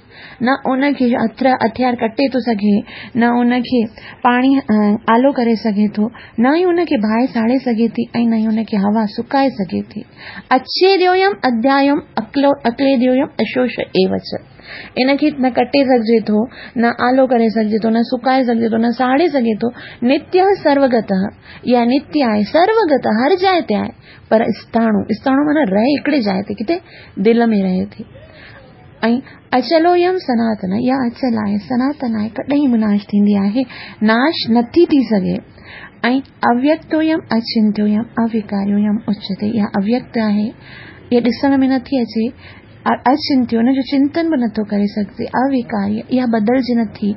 نه ان کي هٿيار ڪٽي ٿو سگهي، نه ان کي پاڻي آلو ڪري سگهي ٿو، نه ئي ان کي باهه ساڙي سگهي ٿي ۽ نه ئي ان کي هوا سڪائي سگهي ٿي. اڇيديويم اڌيايوم اڪليديويم اشوش ايو چ. ان کي نه ڪٽي سگهجي ٿو، نه آلو ڪري سگهجي ٿو، نه سڪائي سگهجي ٿو، نه ساڙي سگهي ٿو. نتيه سروگته، اها نتيه آهي، سروگته هر جاء تي آهي، پر اسٿاڻو، اسٿاڻو معنيٰ رهي هڪڙي جاء تي، ڪٿي؟ دل ۾ رهي ٿي. ۽ اچلويم سناتن، اها اچل آهي، سناتن آهي، ڪڏهن به ناش ٿيندي آهي، ناش نٿي ٿي سگهي. ۽ اويڪتويم اچنتيويم اويڪاريويم اچيتي، اها اويڪت آهي، اها ڏسڻ ۾ نٿي اچي، اچنتيو، ان جو چنتن به نٿو ڪري سگهجي، اويڪاري، اها بدلجي نٿي.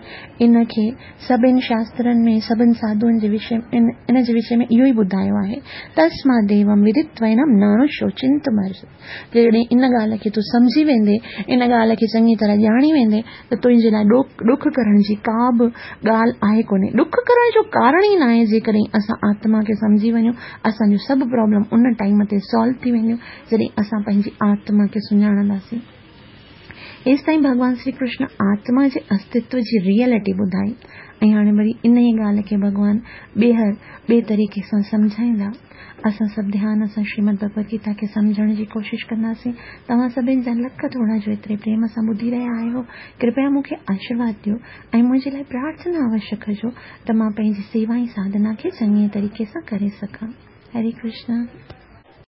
ان کي سڀن شاسترن ۾ سڀن ساڌوئن جي وشي ان جي وشي ۾ اهو ئي ٻڌايو آهي، تسماديوم ودتوينم ناڻوشوچنتمرهسي. جيڪڏهن ان ڳالهه کي تون سمجهي ويندين، ان ڳالهه کي چڱي طرح ڄاڻي ويندين ته تنهنجي لاء ڏک ڪرڻ جي ڪا به ڳالهه آهي ڪونهي. ڏک ڪرڻ جو ڪارڻ ئي ناهي جيڪڏهن اسان آتما کي سمجهي وڃون، اسان جون سڀ پرابلم ان ٽائيم تي سالو ٿي وينديون جڏهن اسان پنهنجي آتما کي سڃاڻنداسين. هيستائين ڀڳوان شري ڪرشن آتما جي استتو جي ريئلٽي ٻڌائي ۽ هاڻي وري انهيء ڳالهه کي ڀڳوان ٻيهر ٻئي طريقي سان سمجهائيندا. اسان سڀ ڌيان سان شريمد ڀڳوت گيتا کي سمجهڻ جي ڪوشش ڪنداسين. توهان سڀن جا لک ٿورا جو ايتري پريم سان ٻڌي رهيا آهيو. ڪرپيا مون کي آشيرواد ڏيو ۽ منهنجي لاء پرارٿنا اوشيه ڪجو ته مان پنهنجي سيوا ۽ ساڌنا کي چڱي طريقي سان ڪري سگهان. هري ڪرشنا.